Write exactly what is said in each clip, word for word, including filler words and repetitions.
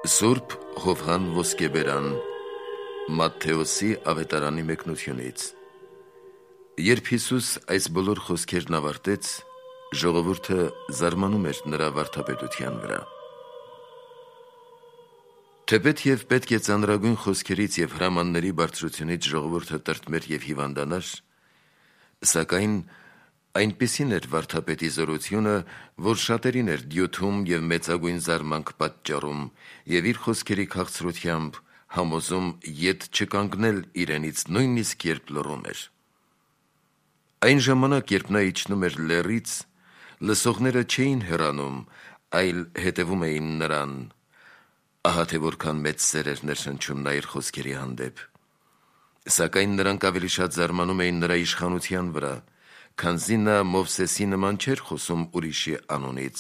Սուրբ Հովհան Ոսկեբերան Մատթեոսի ավետարանի մեկնությունից։ Երբ Հիսուս այս բոլոր խոսքերն ավարտեց, ժողովուրդը զարմանում էր նրա վարդապետության վրա։ Թեպետ և պետք է ծանրագույն խոսքերից և հրամանների բարձրությունից ժողովուրդը տրտմեր և հիվանդանար, սակայն այնպիսին էր վարդապետի զորությունը, որ շատերին էր դյութում և մեծագույն զարմանք պատճառում և իր խոսքերի քաղցրությամբ համոզում ետ չկանգնել իրենից, նույնիսկ երբ լռում էր։ Այն ժամանակ, երբ նա իջնում էր լեռից, լսողները չէին հեռանում, այլ հետևում էին նրան, ահա թե որքան մեծ սեր էր ներշնչում նա իր խոսքերի հանդեպ։ Սակայն նրանք ավելի շատ զարմանում էին նրա իշխանության վրա, քանզի նա Մովսեսի նման չէր խոսում ուրիշի անունից,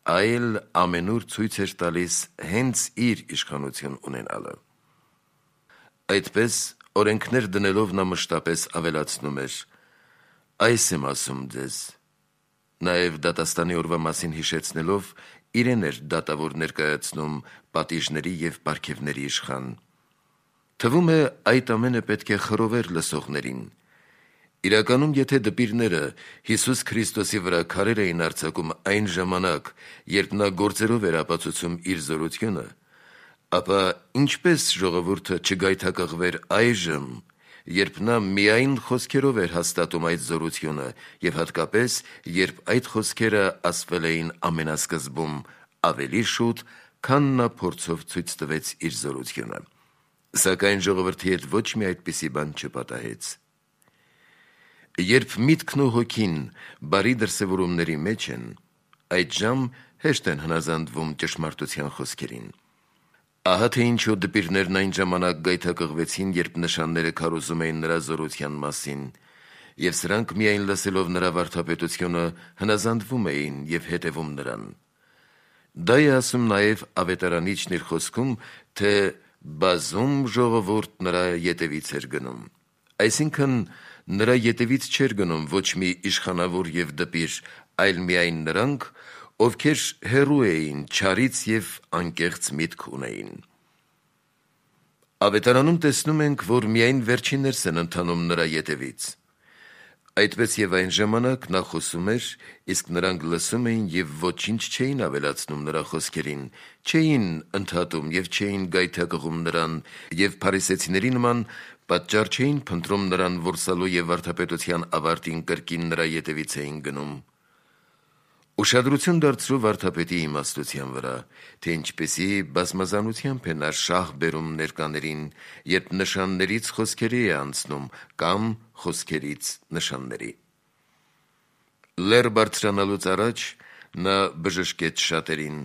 այլ ամենուր ցույց էր տալիս հենց իր իշխանություն ունենալը։ Այդպես, օրենքներ դնելով նա մշտապես ավելացնում էր. «Այս եմ ասում ձեզ», նաև դատաստանի օրվա մասին հիշեցնելով, իրեն էր դատավոր ներկայացնում պատիժների և պարգևների իշխան։ Թվում է, այդ ամենը պետք է խռովեր լսողներին։ Իրականում, եթե դպիրները Հիսուս Քրիստոսի վրա քարեր էին արձակում այն ժամանակ, երբ նա գործերով էր ապացուցում իր զորությունը, ապա ինչպես ժողովուրդը չգայթակղվեր այժմ, երբ նա միայն խոսքերով էր հաստատում այդ զորությունը և հատկապես, երբ այդ խոսքերը ասվել էին ամենասկզբում ավելի շուտ, քան նա փորձով ցույց տվեց իր զորությունը։ Սակայն ժողովրդի հետ ոչ մի այդպիսի բան չպատահեց։ Երբ միտքն ու հոգին բարի դրսևորումների մեջ են, այդժամ հեշտ են հնազանդվում ճշմարտության խոսքերին։ Ահա թե ինչու դպիրներն այն ժամանակ գայթակղվեցին, երբ նշանները քարոզում էին նրա զորության մասին, և սրանք միայն լսելով նրա վարդապետությունը հնազանդվում էին և հետևում նրան։ Դա է ասում նաև ավետարանիչն իր խոսքում, թե բազում ժողովուրդ նրա ետևից էր գնում։ Այսինքն, նրա ետևից չէր գնում ոչ մի իշխանավոր և դպիր, այլ միայն նրանք, ովքեր հեռու էին չարից և անկեղծ միտք ունեին։ Ավետարանում տեսնում ենք, որ միայն վերջիններս են ընթանում նրա ետևից։ Այդպես և այն ժամանակ նա խոսում էր, իսկ նրանք լսում էին և ոչինչ չէին ավելացնում նրա խոսքերին, չէին ընդհատում և չէին գայթակղում նրան և փարիսեցիների նման պատճառ չէին փնտրում նրան որսալու և վարդապետության ավարտին կրկին նրա ետևից էին գնում։ Ուշադրություն դարձրու վարդապետի իմաստության վրա, թե ինչպիսի բազմազանությամբ է նա շահ բերում ներկաներին, երբ նշաններից խոսքերի է անցնում կամ խոսքերից նշանների։ Լեռ բարձրանալուց առաջ նա բժշկեց շատերին,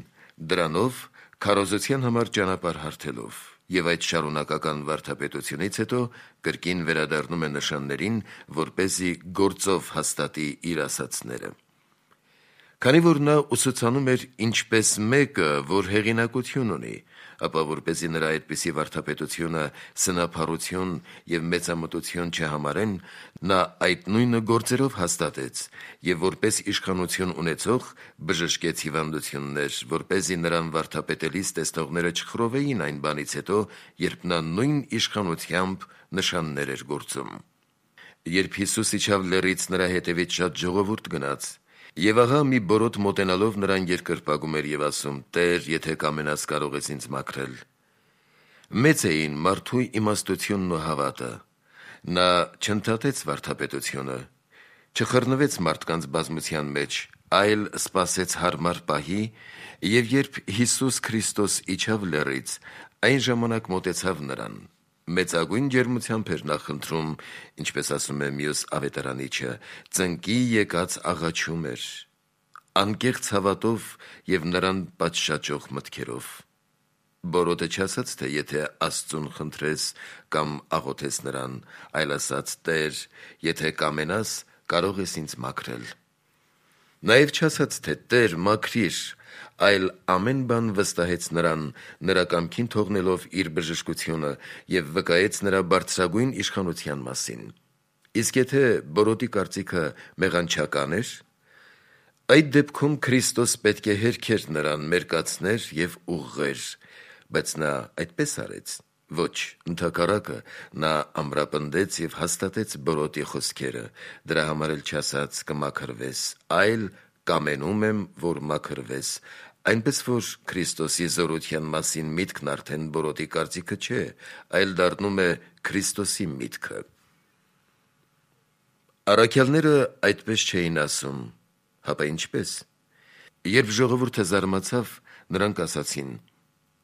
դրանով քարոզության համար ճանապարհ հարթելով, և այդ շարունակական վարդապետությունից հետո կրկին վերադառնում է նշաններին, որպեսզի գործով հաստատի իր ասացները։ Քանի որ նա ուսուցանում էր ինչպես մեկը, որ հեղինակություն ունի, ապա որպեսզի նրա այդպիսի վարդապետությունը սնափառություն և մեծամտություն չհամարեն, նա այդ նույնը գործերով հաստատեց և որպես իշխանություն ունեցող բժշկեց հիվանդություններ, որպեսզի նրան վարդապետելիս տեսնողները չխռովեին այն բանից հետո, երբ նա նույն իշխանությամբ նշաններ էր գործում։ Երբ Հիսուս իջավ լեռից, նրա հետևից շատ ժողովուրդ գնաց, և ահա մի բորոտ մոտենալով նրան երկրպագում էր և ասում. «Տե՛ր, եթե կամենաս, կարող ես ինձ մաքրել»։ Մեծ էին մարդու իմաստությունն ու հավատը։ Նա չընդհատեց վարդապետությունը, չխռնվեց մարդկանց բազմության մեջ, այլ սպասեց հարմար պահի, և երբ Հիսուս Քրիստոս իջավ լեռից, այն ժամանակ մոտեցավ նրան։ Մեծագույն ջերմությամբ էր նա խնդրում, ինչպես ասում է մյուս ավետարանիչը, ծնկի եկած աղաչում էր, անկեղծ հավատով և նրան պատշաճող մտքերով։ Բորոտը չասաց, թե եթե Աստծուն խնդրես կամ աղոթես նրան, այլ ասաց. «Տե՛ր, եթե կամենաս, կարող ես ինձ մաքրել»։ Նաև չասաց, թե «Տե՛ր, մաքրիր», այլ ամեն բան վստահեց նրան, նրա կամքին թողնելով իր բժշկությունը և վկայեց նրա բարձրագույն իշխանության մասին։ Իսկ եթե բորոտի կարծիքը մեղանչական էր, այդ դեպքում Քրիստոս պետք է հերքեր նրան, մերկացներ և ուղղեր, բայց նա այդպես արեց։ Ոչ, ընդհակառակը, նա ամրապնդեց եւ հաստատեց բորոտի խոսքերը, դրա համար էլ չասաց կմաքրվես, այլ կամենում եմ, որ մաքրվես, այնպես որ Քրիստոսի զորության մասին միտքն արդեն բորոտի կարծիքը չէ, այլ դառնում է Քրիստոսի միտքը։ Առաքյալները այդպես չէին ասում, հապա ինչպես։ Երբ ժողովուրդը զարմացավ, նրանք ասացին.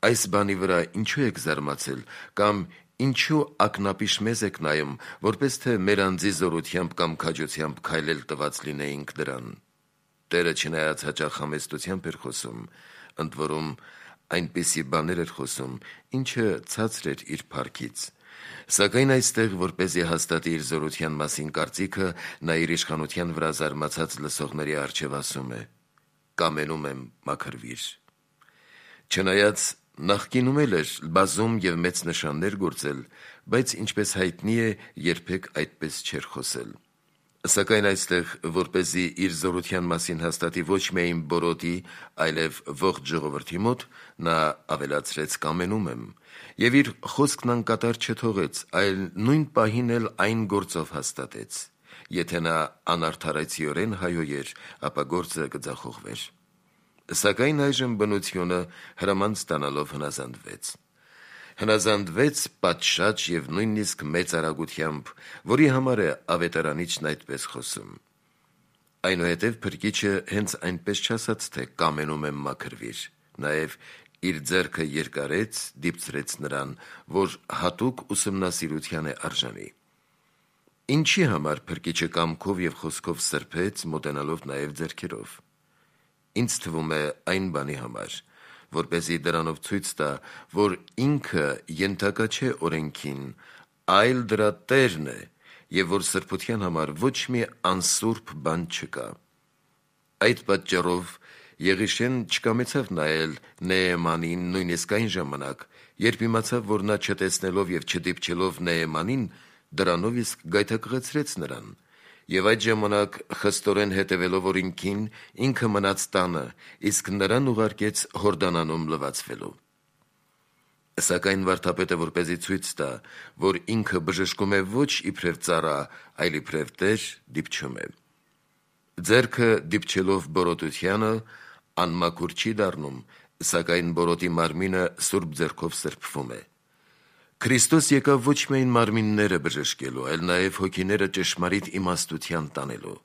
«Այս բանի վրա ինչու եք զարմացել, կամ ինչու ակնապիշ մեզ եք նայում, որպես թե մեր անձի զորությամբ կամ քաջությամբ քայլել տված լինեինք դրան»։ Տերը չնայած հաճախ համեստությամբ էր խոսում, ընդ որում այնպիսի բաներ էր խոսում, ինչը ցածր էր իր փառքից, սակայն այստեղ, որպեսզի հաստատի իր զորության մասին կարծիքը, նա իր իշխանության վրա զարմացած լսողների առջև ասում է. «Կամենում եմ, մաքրվիր»։ Չնայած նախկինում էլ էր բազում եւ մեծ նշաններ գործել, բայց ինչպես հայտնի է, երբեք այդպես չէր խոսել։ Սակայն այստեղ, որպեսզի իր զորության մասին հաստատի ոչ միայն բորոտի, այլև ողջ ժողովրդի մոտ, նա ավելացրեց կամենում եմ, եւ իր խոսքն անկատար չթողեց, այլ նույն պահին էլ այն գործով հաստատեց։ Եթե նա անարդարացիորեն հայոյեր, ապա գործը կձախողվեր։ Սակայն այժմ բնությունը հրաման ստանալով հնազանդվեց։ Հնազանդվեց պատշաճ եւ նույնիսկ մեծ արագությամբ, որի համար է ավետարանիչն այդպես խոսում։ Այնուհետև Փրկիչը հենց այնպես չասաց, թե կամենում եմ մաքրվիր, նաեւ իր ձեռքը երկարեց, դիպցրեց նրան, որ հատուկ ուսումնասիրության է արժանի։ Ինչի համար Փրկիչը կամքով եւ խոսքով սրբեց, մոտենալով նաեւ ձեռքերով։ Ինձ թվում է այն բանի համար, որպեսզի դրանով ցույց տա, որ ինքը ենթակա չէ օրենքին, այլ դրա տերն է, եւ որ սրբության համար ոչ մի անսուրբ բան չկա։ Այդ պատճառով Եղիշեն չկամեցավ նայել Նեեմանին նույնիսկ այն ժամանակ, երբ իմացավ, որ նա չտեսնելով եւ չդիպչելով Նեեմանին, դրանով իսկ գայթակղեցրեց նրան, եւ այդ ժամանակ խստորեն հետևելով օրենքին, ինքը մնաց տանը, իսկ նրան ուղարկեց Հորդանանում լվացվելու։ Սակայն վարդապետը, որպեսզի ցույց տա, որ ինքը բժշկում է ոչ իբրև ծառա, այլ իբրև տեր, դիպչում է։ Ձեռքը դիպչելով բորոտությանը անմաքուր չի դառնում, սակայն բորոտի մարմինը սուրբ ձեռքով սրբվում է։ Քրիստոս եկավ ոչ միայն մարմինները բժշկելու, այլ նաև հոգիները ճշմարիտ իմաստության տանելու։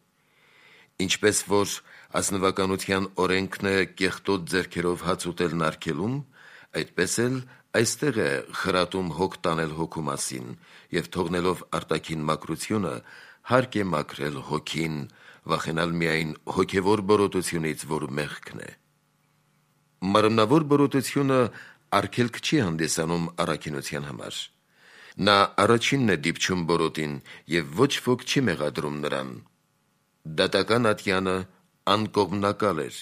Ինչպես որ ազնվականության օրենքն է կեղտոտ ձեռքերով հաց ուտելն արգելում, այդպես էլ այստեղ է խրատում հոգ տանել հոգու մասին եւ թողնելով արտաքին մաքրությունը հարկ է մաքրել հոգին, վախենալ միայն հոգևոր բորոտությունից, որ մեղքն է։ Մարմնավոր բորոտությունը արգելք չի հանդիսանում առաքինության համար։ Նա առաջինն է դիպչում բորոտին եւ ոչ ոք չի մեղադրում նրան։ Դատական ատյանը անկողմնակալ էր,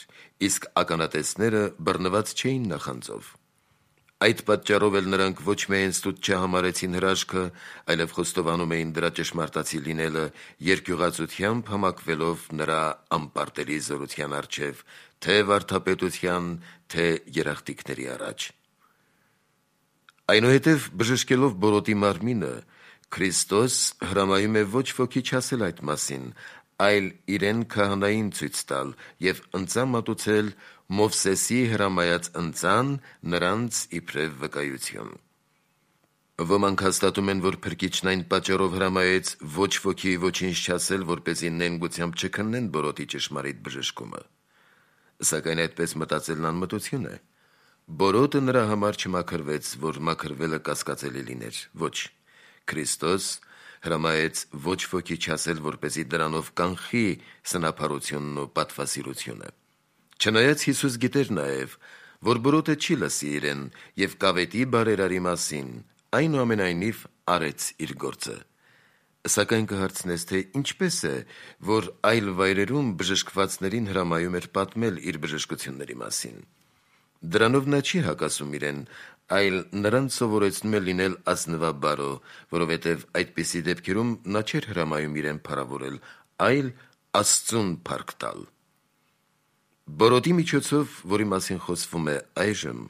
իսկ ականատեսները բռնված չէին նախանձով։ Այդ պատճառով էլ նրանք ոչ միայն ստուտ չհամարեցին հրաշքը, այլև խոստովանում էին դրա ճշմարտացի լինելը երկյուղածությամբ համակվելով նրա անպարտելի զորության առջև, թե վարդապետության, թե երախտիկների առաջ։ Այնուհետև բժշկելով բորոտի մարմինը, Քրիստոս հրամայում է ոչ ոքի չասել այդ մասին, այլ իրեն քահանային ցույց տալ եւ ընծա մատուցել Մովսեսի հրամայած ընծան նրանց իբրև վկայություն։ Ոմանք հաստատում են, որ Փրկիչն այն պատճառով հրամայեց ոչ ոքի ոչինչ չասել, որպեսզի նենգությամբ չքննեն բորոտի ճշմարիտ բժշկումը։ Սակայն այդպես մտածելն անմտություն է։ Բորոտը նրա համար չմաքրվեց, որ մաքրվելը կասկածելի լիներ։ Ոչ, Քրիստոս հրամայեց ոչ ոքի չասել, որպեսզի դրանով կանխի սնափառությունն ու պատվասիրությունը։ Չնայած Հիսուս գիտեր նաև, որ բորոտը չի լսի իրեն եւ կավետի բարերարի մասին, այնուամենայնիվ արեց իր գործը։ Սակայն կհարցնես, թե ինչպես է, որ այլ վայրերում բժշկվածներին հրամայում էր պատմել իր բժշկությունների մասին։ Դրանով նա չի հակասում իրեն, այլ նրան սովորեցնում է լինել ազնվաբարո, որովհետև այդպիսի դեպքերում նա չէր հրամայում իրեն փառավորել, այլ Աստծուն փառք տալ։ Բորոտի միջոցով, որի մասին խոսվում է այժմ,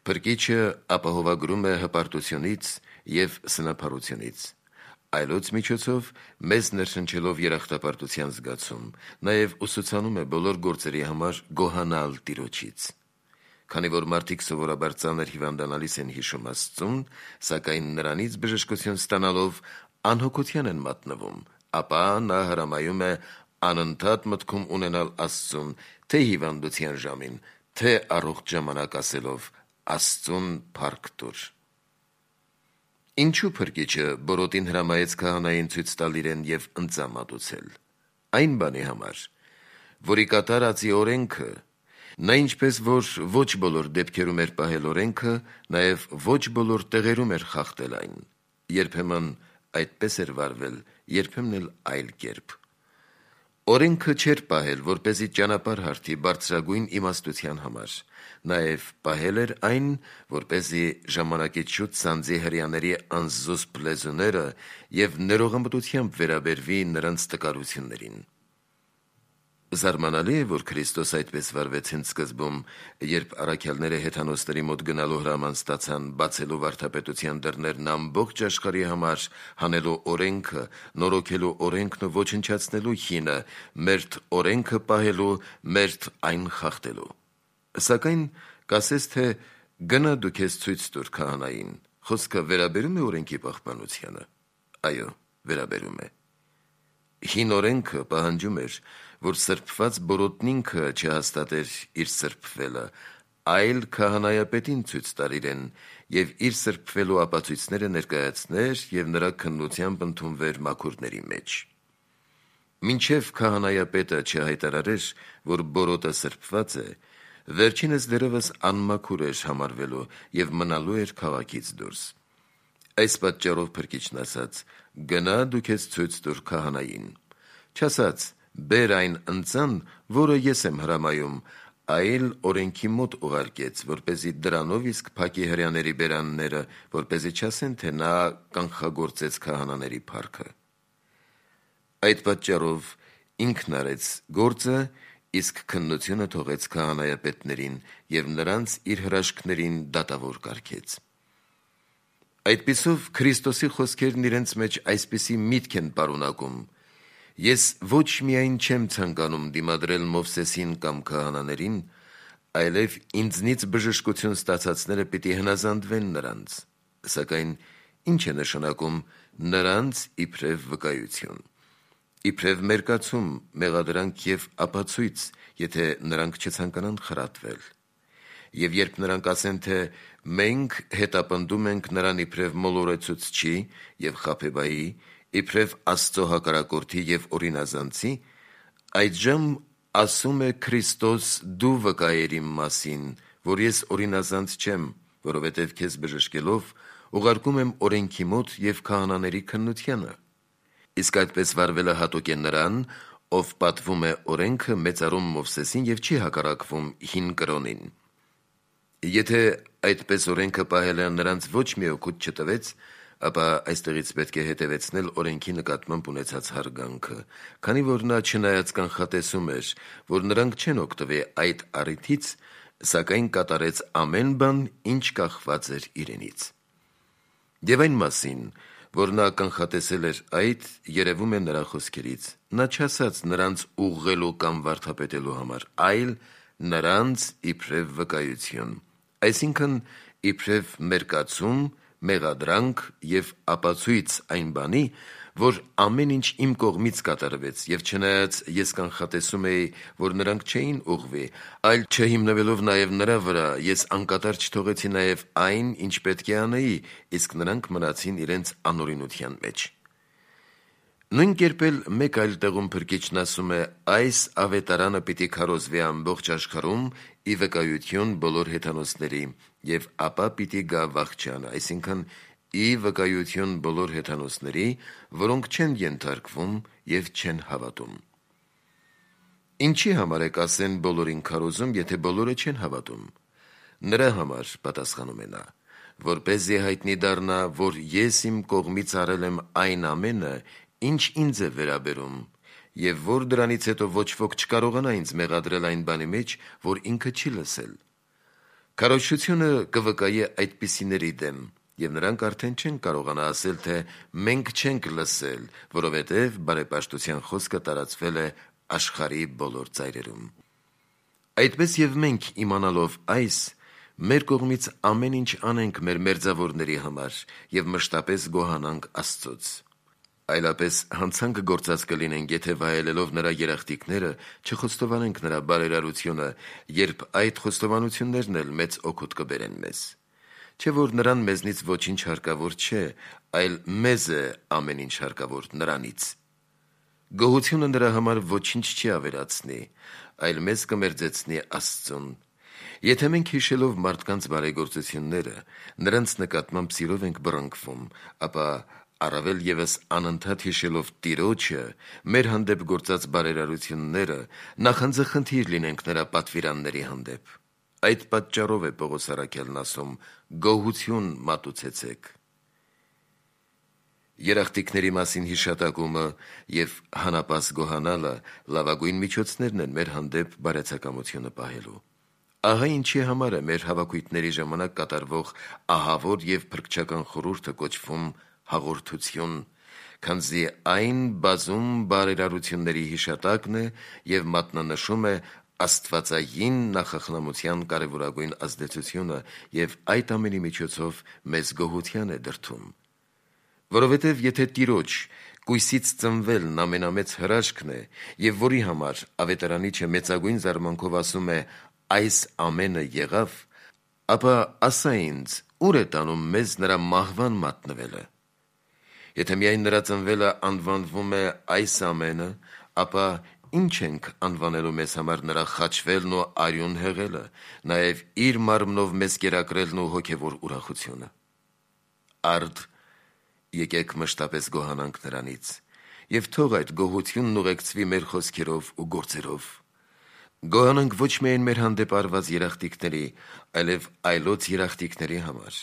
Փրկիչը ապահովագրում է հպարտությունից և սնափառությունից, այլոց միջոցով մեզ ներշնչելով երախտապարտության զգացում, նաև ուսուցանում է բոլոր գործերի համար գոհանալ Տիրոջից։ Քանի որ մարդիկ սովորաբար ծանր հիվանդանալիս են հիշում Աստծուն, սակայն նրանից բժշկություն ստանալով անհոգության են մատնվում, ապա նա հրամայում է անընդհատ մտքում ունենալ Աստծուն, թե հիվանդության ժամին, թե առողջ ժամանակ ասելով Աստծուն փառք տուր։ Ինչու փրկիչը բորոտին հրամայեց քահանային ցույց տալ իրեն և ընծա մատուցել։ Այն բանի համար, որի կատարածի օրենքը, նա ինչպես որ ոչ բոլոր դեպքերում էր պահել օրենքը, նաև ոչ բոլոր տեղերում էր խախտել այն, երբեմն այդպես էր վարվել, երբեմն էլ այլ կերպ։ Օրենքը չէր պահել, որպեսզի ճանապարհ հարթի բարձրագույն իմաստության համար, նաև պահել էր այն, որպեսզի ժամանակից շուտ սանձի հրեաների անզուսպ լեզուները և ներողամտությամբ վերաբերվի նրանց տկարություններին։ Զարմանալի է, որ Քրիստոս այդպես վարվեց հենց սկզբում, երբ առաքյալները հեթանոսների մոտ գնալու հրաման ստացան բացելու վարդապետության դռներն ամբողջ աշխարհի համար, հանելու օրենքը, նորոգելու օրենքն ու ոչնչացնելու հինը, մերթ օրենքը պահելու, մերթ այն խախտելու։ Սակայն կասես, թե գնա դու քեզ ցույց տուր քահանային, խոսքը վերաբերում է օրենքի պահպանությանը։ Այո, վերաբերում է։ Հին օրենքը պահանջում էր, որ սրբված բորոտն ինքը չհաստատեր իր սրբվելը, այլ քահանայապետին ցույց տար իրեն և իր սրբվելու ապացույցները ներկայացներ և նրա քննությամբ ընդունվեր մաքուրների մեջ։ Մինչև քահանայապետը չհայտարարեր, որ բորոտը սրբված է, վերջինս դեռևս անմաքուր էր համարվելու և մնալու էր քաղաքից դուրս։ Այս պատճառով Փրկիչն ասաց. «Գնա դու քեզ ցույց տուր քահանային», չասաց. «Բեր այն ընծան, որը ես եմ հրամայում», այլ օրենքի մոտ ուղարկեց, որպեսզի դրանով իսկ փակի հրեաների բերանները, որպեսզի չասեն, թե նա կանխագործեց քահանաների փառքը։ Այդ պատճառով ինքն արեց գործը, իսկ քննությունը թողեց քահանայապետներին և նրանց իր հրաշքներին դատավոր կարգեց։ Այդպիսով Քրիստոսի խոսքերն իրենց մեջ այսպիսի միտք են պարունակում. «Ես ոչ միայն չեմ ցանկանում դիմադրել Մովսեսին կամ քահանաներին, այլև ինձնից բժշկություն ստացածները պիտի հնազանդվեն նրանց»։ Սակայն ի՞նչ է նշանակում «նրանց իբրև վկայություն»։ Իբրև մերկացում, մեղադրանք և ապացույց, եթե նրանք չցանկանան խրատվել։ Եվ երբ նրանք ասեն, թե «մենք հետապնդում ենք նրան իբրև մոլորեցուցչի և խաբեբայի, իբրև Աստծո հակառակորդի և օրինազանցի», այդժամ ասում է Քրիստոս դու վկայիր իմ մասին, որ ես օրինազանց չեմ, որովհետև քեզ բժշկելով ուղարկում եմ օրենքի մոտ և քահանաների քննությանը։ Իսկ այդպես վարվելը հատուկ է նրան, ով պատվում է օրենքը, մեծարում Մովսեսին և չի հակառակվում հին կրոնին։ Եթե այդպես օրենքը պահելը նրանց ոչ մի օգուտ չտվեց, ապա այստեղից պետք է հետևեցնել օրենքի նկատմամբ ունեցած հարգանքը, քանի որ նա չնայած կանխատեսում էր, որ նրանք չեն օգտվի այդ առիթից, սակայն կատարեց ամեն բան, ինչ կախված էր իրենից։ Եվ այն մասին, որ նա կանխատեսել էր այդ, երևում է նրա խոսքերից. նա չասաց նրանց ուղղելու կամ վարդապետելու համար, այլ նրանց իբրև վկայություն, այսինքն իբրև մերկացում, մեղադրանք և ապացույց այն բանի, որ ամեն ինչ իմ կողմից կատարվեց, և չնայած ես կանխատեսում էի, որ նրանք չէին ուղղվի, այլ չհիմնվելով նաև նրա վրա, ես անկատար չթողեցի նաև այն, ինչ պետք է անեի, իսկ նրանք մնացին իրենց անօրինության մեջ։ Նույն կերպ էլ մեկ այլ տեղում Փրկիչն ասում է. «Այս ավետարանը պիտի քարոզվի ամբողջ աշխարհում ի վկայություն բոլոր հեթանոսների, և ապա պիտի գա վախճանը», այսինքն ի վկայություն բոլոր հեթանոսների, որոնք չեն ենթարկվում և չեն հավատում։ Ինչի համար է կասեն բոլորին քարոզում, եթե բոլորը չեն հավատում։ Նրա համար, պատասխանում է նա, որպեսզի հայտնի դառնա, որ ես իմ կողմից արել եմ այն ամենը, ինչ ինձ է վերաբերում, և որ դրանից հետո ոչ ոք չկարողանա ինձ մեղադրել այն բանի մեջ, որ ինքը չի լսել։ Քարոզչությունը կվկայի այդպիսիների դեմ, եւ նրանք արդեն չեն կարողանա ասել, թե մենք չենք լսել, որովհետեւ բարեպաշտության խոսքը տարածվել է աշխարհի բոլոր ծայրերում։ Այդպես եւ մենք իմանալով այս, մեր կողմից ամեն ինչ անենք մեր մերձավորների համար եւ մշտապես գոհանանք Աստծոց։ Այլապես հանցանք գործած կլինենք, եթե վայելելով նրա երախտիկները չխոստովանենք նրա բարերարությունը, երբ այդ խոստովանություններն էլ մեծ օգուտ կբերեն մեզ։ Չէ որ նրան մեզնից ոչինչ հարկավոր չէ, այլ մեզ է ամեն ինչ հարկավոր նրանից։ Գոհությունը նրա համար ոչինչ չի ավերացնի, այլ մեզ կմերձեցնի Աստծուն։ Եթե մենք հիշելով մարդկանց բարեգործությունները, նրանց նկատմամբ սիրով ենք բռնկվում, ապա առավել ևս անընդհատ հիշելով Տիրոջը, մեր հանդեպ գործած բարերարությունները, նախանձախնդիր լինենք նրա պատվիրանների հանդեպ։ Այդ պատճառով է Պողոս առաքյալն ասում. «Գոհություն մատուցեցեք»։ Երախտիկների մասին հիշատակումը եւ հանապաս գոհանալը լավագույն միջոցներն են մեր հանդեպ բարեցակամությունը պահելու։ Ահա ինչի համար է մեր հավաքույթների ժամանակ կատարվող ահավոր եւ փրկչական խորհուրդը կոչվում հաղորդություն, քանզի այն բազում բարերարությունների հիշատակն է եւ մատնանշում է աստվածային նախախնամության կարևորագույն ազդեցությունը եւ այդ ամենի միջոցով մեզ գոհության է դրդում։ Որովհետեւ եթե Տիրոջ կույսից ծնվելն ամենամեծ հրաշքն է եւ որի համար ավետարանիչը մեծագույն զարմանքով ասում է այս ամենը եղավ, ապա ասա ինձ, ուր է տանում մեզ նրա մահվան մատնվելը։ Եթե միայն նրա ծնվելը անվանվում է այս ամենը, ապա ինչ ենք անվանելու մեզ համար նրա խաչվելն ու արյուն հեղելը, նաև իր մարմնով մեզ կերակրելն ու հոգևոր ուրախությունը։ Արդ, եկեք մշտապես գոհանանք նրանից, եւ թող այդ գոհությունն ուղեկցվի մեր խոսքերով ու գործերով։ Գոհանանք ոչ միայն մեր հանդեպ արված երախտիկների, այլև այլոց երախտիկների համար։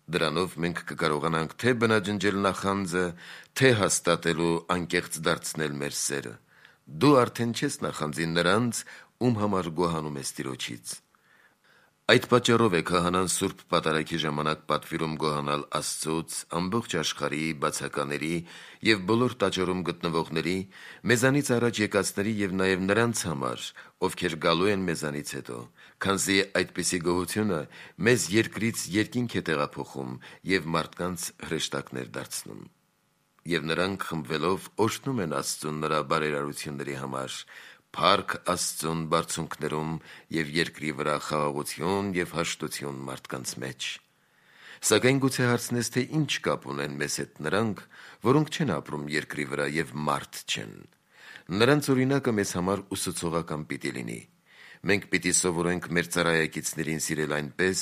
Դրանով մենք կկարողանանք թե բնաջնջել նախանձը, թե հաստատել ու անկեղծ դարձնել մեր սերը։ Դու արդեն չես նախանձի նրանց, ում համար գոհանում ես Տիրոջից։ Այդ պատճառով է քահանան Սուրբ Պատարագի ժամանակ պատվիրում գոհանալ Աստծուց, ամբողջ աշխարհի բացակաների եւ բոլոր տաճարում գտնվողների, մեզանից առաջ եկածների եւ նաեւ նրանց համար, ովքեր գալու են մեզանից հետո, քանզի այդպիսի գոհությունը մեզ երկրից երկինք է տեղափոխում եւ մարդկանց հրեշտակներ դարձնում։ Եվ նրանք խմբվելով օրհնում են Աստծուն նրա բարերարությունների համար, փառք Աստծուն բարձունքներում եւ երկրի վրա խաղաղություն եւ հաշտություն մարդկանց մեջ։ Սակայն գուցե հարցնես, թե ինչ կապ ունեն մեզ հետ նրանք, որոնք չեն ապրում երկրի վրա եւ մարդ չեն։ Նրանց օրինակը մեզ համար ուսուցողական պիտի լինի։ Մենք պիտի սովորենք մեր ծառայակիցներին սիրել այնպես,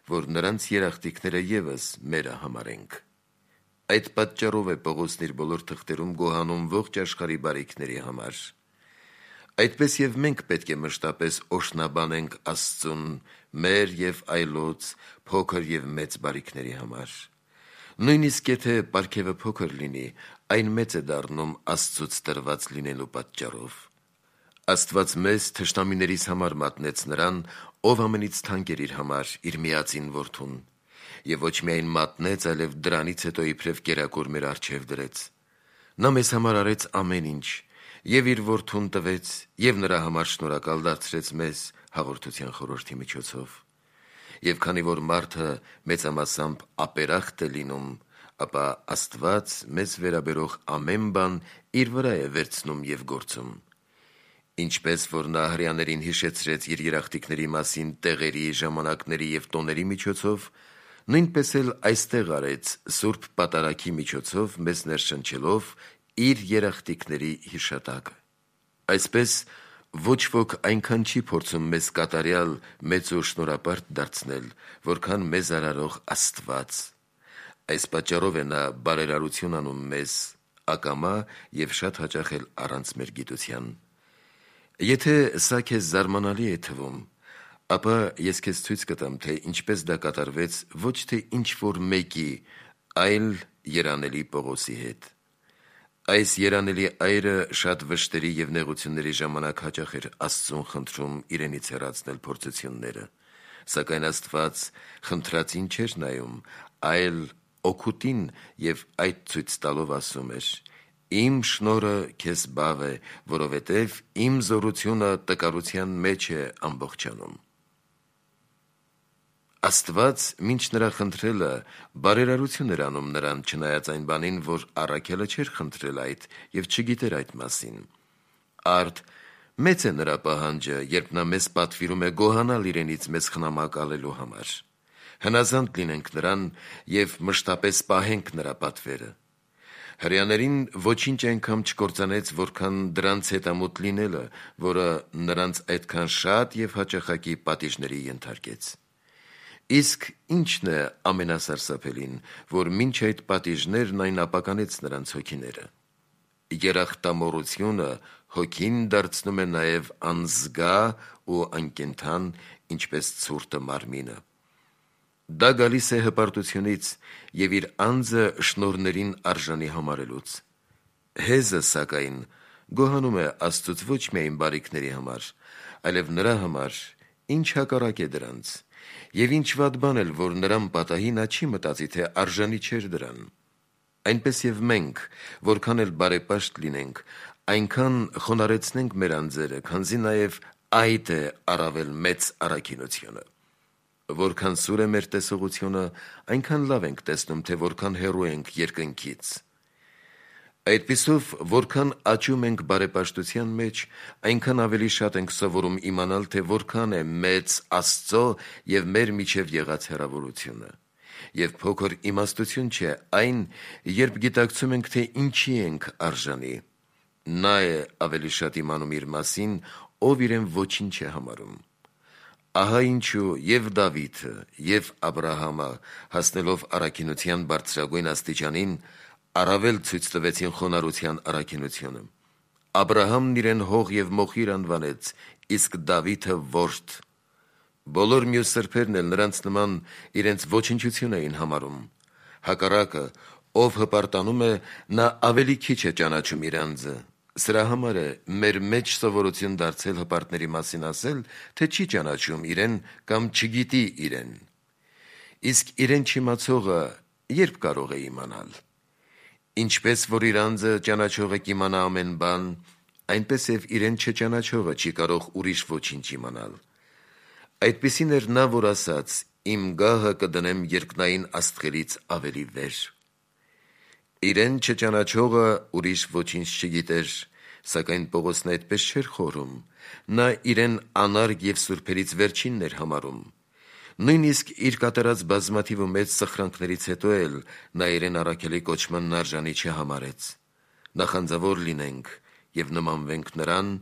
որ նրանց երախտիկները եւս մերը համարենք։ Այդ պատճառով է Պողոսն իր բոլոր թղթերում գոհանում ողջ աշխարհի բարիքների համար։ Այդպես եւ մենք պետք է մշտապես օրհնաբանենք Աստծուն մեր եւ այլոց փոքր եւ մեծ բարիքների համար։ Նույնիսկ եթե պարգևը փոքր լինի, այն մեծ է դառնում Աստծուց տրված լինելու պատճառով։ Աստված մեզ թշնամիներիս համար մատնեց նրան, ով ամենից թանկ էր իր համար, իր միածին որդուն, եւ ոչ միայն մատնեց, այլև դրանից հետո իբրև կերակուր մեր առջև դրեց։ Նա մեզ համար արեց ամեն ինչ, եւ իր որդուն տվեց, եւ նրա համար շնորհակալ դարձրեց մեզ հաղորդության խորհրդի միջոցով։ Եվ քանի որ մարդը մեծամասամբ ապերախտ է լինում, ապա Աստված մեզ վերաբերող ամեն բան իր վրա է վերցնում եւ գործում։ Ինչպես որ նա հրեաներին հիշեցրեց իր երախտիկների մասին տեղերի, ժամանակների եւ տոների միջոցով, նույնպես էլ այստեղ արեց Սուրբ Պատարագի միջոցով մեզ ներշնչելով իր երախտիկների հիշատակը։ Այսպես ոչ ոք այնքան չի փորձում մեզ կատարյալ մեծ ու շնորհապարտ դարձնել, որքան մեզ արարող Աստված։ Այս պատճառով է նա բարերարություն անում մեզ, ակամա եւ շատ հաճախ էլ առանց մեր գիտության։ Եթե սա քեզ զարմանալի է թվում, ապա ես քեզ ցույց կտամ, թե ինչպես դա կատարվեց ոչ թե ինչ-որ մեկի, այլ երանելի Պողոսի հետ։ Այս երանելի այրը շատ վշտերի եւ նեղությունների ժամանակ հաճախ էր Աստծուն խնդրում իրենից հեռացնել փորձությունները, սակայն Աստված խնդրածին չէր նայում, այլ օգուտին եւ այդ ցույց տալով ասում էր. «Իմ շնորհը քեզ բավ է, որովհետեւ իմ զորությունը տկարության մեջ է ամբողջանում»։ Աստված մինչ նրա խնդրելը բարերարություն էր անում նրան, չնայած այն բանին, որ առաքյալը չէր խնդրել այդ եւ չգիտեր այդ մասին։ Արդ մեծ է նրա պահանջը, երբ նա մեզ պատվիրում է գոհանալ իրենից մեզ խնամակալելու համար։ Հնազանդ լինենք նրան եւ մշտապես պահենք նրա պատվերը։ Հրեաներին ոչինչ այնքան չկործանեց, որքան դրանց հետամուտ լինելը, որը նրանց այդքան շատ եւ հաճախակի պատիժների ենթարկեց։ Իսկ ի՞նչն է ամենասարսափելին, որ մինչ այդ պատիժներն այն ապականեց նրանց հոգիները։ Երախտամոռությունը հոգին դարձնում է նաև անզգա ու անկենդան, ինչպես ցուրտը մարմինը։ Դա գալիս է հպարտությունից եւ իր անձը շնորհներին արժանի համարելուց։ Հեզը, սակայն, գոհանում է Աստծուց ոչ միայն բարիքների համար, այլև նրա համար, ինչ հակառակ է դրանց, եւ ինչ վատ բան էլ, որ նրան պատահի, նա չի մտածի, թե արժանի չէր դրան։ Այնպես եւ մենք, որքան էլ բարեպաշտ լինենք, այնքան խոնարհեցնենք մեր անձերը, քանզի նաեւ այդ է առավել մեծ առաքինությունը։ Որքան սուր է մեր տեսողությունը, այնքան լավ ենք տեսնում, թե որքան հեռու ենք երկնքից։ Այդպիսով, որքան աճում ենք բարեպաշտության մեջ, այնքան ավելի շատ ենք սովորում իմանալ, թե որքան է մեծ Աստծո եւ մեր միջև եղած հեռավորությունը։ Եվ փոքր իմաստություն չէ այն, երբ գիտակցում ենք, թե ինչի ենք արժանի։ Նա է ավելի շատ իմանում իր մասին, ով իրեն ոչինչ է համարում։ Ահա ինչու եւ Դավիթը, եւ Աբրահամը, հասնելով առաքինության բարձրագույն աստիճանին, առավել ցույց տվեցին խոնարհության առաքինությունը։ Աբրահամն իրեն հող եւ մոխիր անվանեց, իսկ Դավիթը որդի։ Բոլոր մյուս սրբերն էլ նրանց նման իրենց ոչնչություն էին համարում։ Հակառակը, ով հպարտանում է, նա ավելի քիչ է ճանաչում իր անձը։ Սրա համար է մեր մեջ սովորություն դարձել հպարտների մասին ասել, թե չի ճանաչում իրեն կամ չգիտի իրեն։ Իսկ իրեն չիմացողը երբ կարող է իմանալ։ Ինչպես որ իր անձը ճանաչողը կիմանա ամեն բան, այնպես եւ իրեն չճանաչողը չի կարող ուրիշ ոչինչ իմանալ։ Այդպիսին էր նա, որ ասաց. «Իմ գահը կդնեմ երկնային աստղերից ավելի վեր»։ Իրեն չճանաչողը ուրիշ ոչինչ չգիտեր, սակայն Պողոսն այդպես չէր խորհում։ Նա իրեն անարգ եւ սուրբերից վերջինն էր համարում։ Նույնիսկ իր կատարած բազմաթիվ ու մեծ սխրանքներից հետո էլ նա իրեն առաքելի կոչմանն արժանի չհամարեց։ Նախանձավոր լինենք եւ նմանվենք նրան,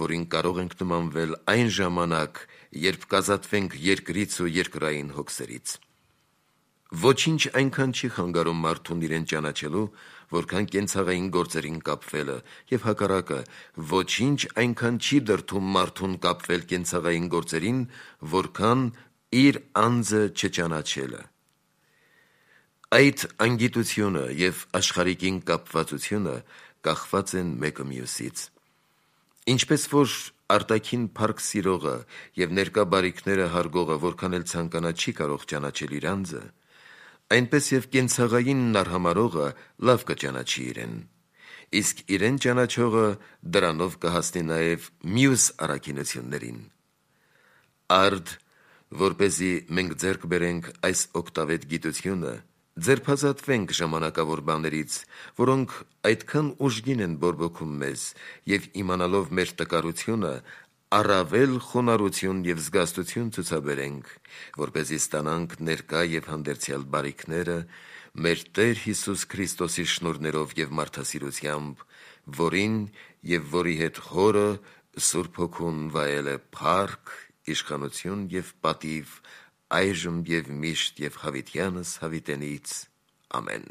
որին կարող ենք նմանվել այն ժամանակ, երբ կազատվենք երկրից ու երկրային հոգսերից։ Ոչինչ այնքան չի խանգարում մարդուն իրեն ճանաչելու, որքան կենցաղային գործերին կապվելը, եւ հակառակը, ոչինչ այնքան չի դրդում մարդուն կապվել կենցաղային գործերին, որքան իր անձը չճանաչելը։ Այդ անգիտությունը եւ աշխարհիկին կապվածությունը կախված են մեկը մյուսից։ Ինչպես որ արտաքին փառք սիրողը եւ ներկա բարիքները հարգողը որքան էլ ցանկանա չի կարող ճանաչել իր անձը, այնպես եւ կենցաղայինն արհամարողը լավ կճանաչի իրեն, իսկ իրեն ճանաչողը դրանով կհասնի նաեւ մյուս առաքինություններին։ Արդ, որպեսզի մենք ձեռք բերենք այս օգտավետ գիտությունը, ձերբազատվենք ժամանակավոր բաներից, որոնք այդքան ուժգին են բորբոքում մեզ, եւ իմանալով մեր տկարությունը, առավել խոնարհություն եւ զգաստություն ցուցաբերենք, որպեսզի ստանանք ներկա եւ հանդերձյալ բարիքները մեր Տեր Հիսուս Քրիստոսի շնորհներով եւ մարդասիրությամբ, որին եւ որի հետ Հորը Սուրբ Հոգուն վայել է փառք, իշխանություն եւ պատիվ այժմ եւ միշտ եւ հավիտյանս հավիտենից։ Ամեն։